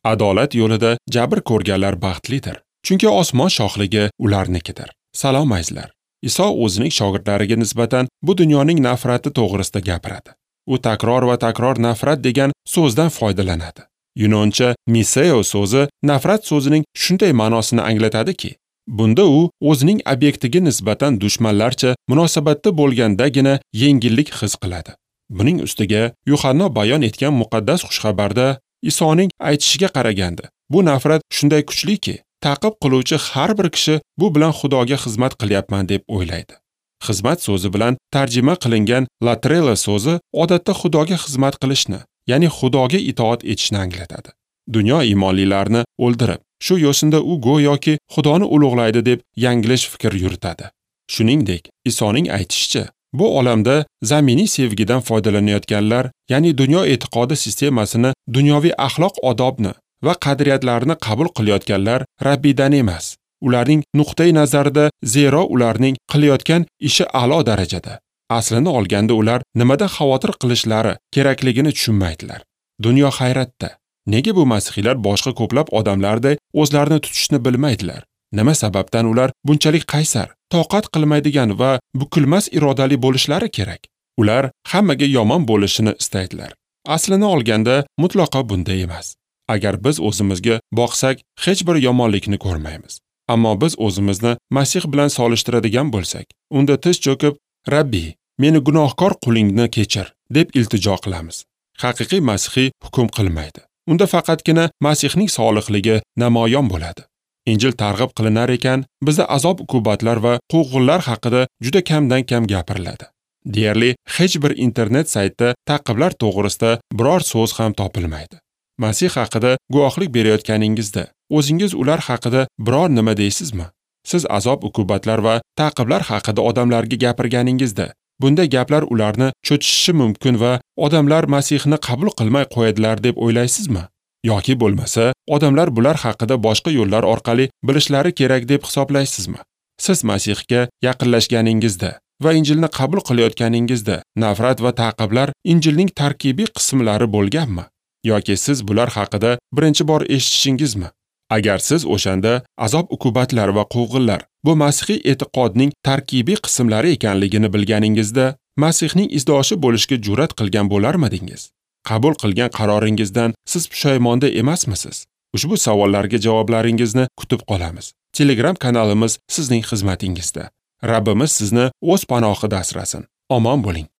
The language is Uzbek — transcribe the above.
Adolat yo'lida jabr ko'rganlar baxtlidir, chunki osmon shohligi ularnikidir. Salom azizlar. Iso o'zining shogirdlariga nisbatan bu dunyoning nafrati to'g'risida gapiradi. U takror va takror nafrat degan so'zdan foydalanadi. Yunoncha miseo so'zi nafrat so'zining shunday ma'nosini anglatadiki, bunda u o'zining obyektiga nisbatan dushmanlarcha munosabatda bo'lgandagina yengillik his qiladi. Buning ustiga Yuhanno bayon etgan muqaddas xushxabarda Isoning aytishiga qaraganda, bu nafrat shunday kuchliki, ta'qib qiluvchi har bir kishi bu bilan Xudoga xizmat qilyapman deb o'ylaydi. Xizmat so'zi bilan tarjima qilingan latrela so'zi odatda Xudoga xizmat qilishni, ya'ni Xudoga itoat etishni anglatadi. Dunyo iymonlilarni o'ldirib, shu yo'sinda u go'yoki Xudoni ulug'laydi deb yanglish fikr yuritadi. Shuningdek, Isoning aytishicha, bu olamda zaminiy sevgidan foydalanayotganlar, ya'ni dunyo e'tiqodi sistemasini, dunyoviy axloq odobni va qadriyatlarni qabul qilayotganlar Rabbiydan emas. Ularning nuqtai nazarida, zero ularning qilayotgan ishi a'lo darajada. Aslini olganda ular nimadan xavotir qilishlari kerakligini tushunmaydilar. Dunyo hayratda. Nega bu masihiylar boshqa ko'plab odamlarday o'zlarini tutishni bilmaydilar? Nima sababdan ular bunchalik qaysar, toqat qilmaydigan va bukilmas irodali bo'lishlari kerak? Ular hammaga yomon bo'lishini istaydilar. Aslini olganda mutlaqo bunday emas. Agar biz o'zimizga boqsak, hech bir yomonlikni ko'rmaymiz. Ammo biz o'zimizni Masih bilan solishtiradigan bo'lsak, unda tiz cho'kib, Rabbi, meni gunohkor qulingni kechir, deb iltijo qilamiz. Haqiqiy masihiy hukm qilmaydi. Unda faqatgina Masihning solihligi namoyon bo'ladi. Injil targ'ib qilinar ekan, bizda azob-uqubatlar va quvg'inlar haqida juda kamdan-kam gapiriladi. Deyarli hech bir internet saytda ta'qiblar to'g'risida biror so'z ham topilmaydi. Masih haqida guvohlik berayotganingizda, o'zingiz ular haqida biror nima deysizmi? Siz azob-uqubatlar va ta'qiblar haqida odamlarga gapirganingizda, bunday gaplar ularni cho'chishishi mumkin va odamlar Masihni qabul qilmay qo'yadilar deb o'ylaysizmi? Yoki bo'lmasa, odamlar bular haqida boshqa yo'llar orqali bilishlari kerak deb hisoblaysizmi? Siz Masihga yaqinlashganingizda va Injilni qabul qilayotganingizda nafrat va ta'qiblar Injilning tarkibiy qismlari bo'lganmi? Yoki siz bular haqida birinchi bor eshitishingizmi? Agar siz o'shanda azob-uqubatlar va quvg'inlar bu masihiy e'tiqodning tarkibiy qismlari ekanligini bilganingizda, Masihning izdoshi bo'lishga jur'at qilgan bo'larmidingiz? Qabul qilgan qaroringizdan siz pushaymonda emasmisiz? Ushbu savollarga javoblaringizni kutib qolamiz. Telegram kanalimiz sizning xizmatingizda. Rabbimiz sizni o'z panohida asrasin. Omon bo'ling.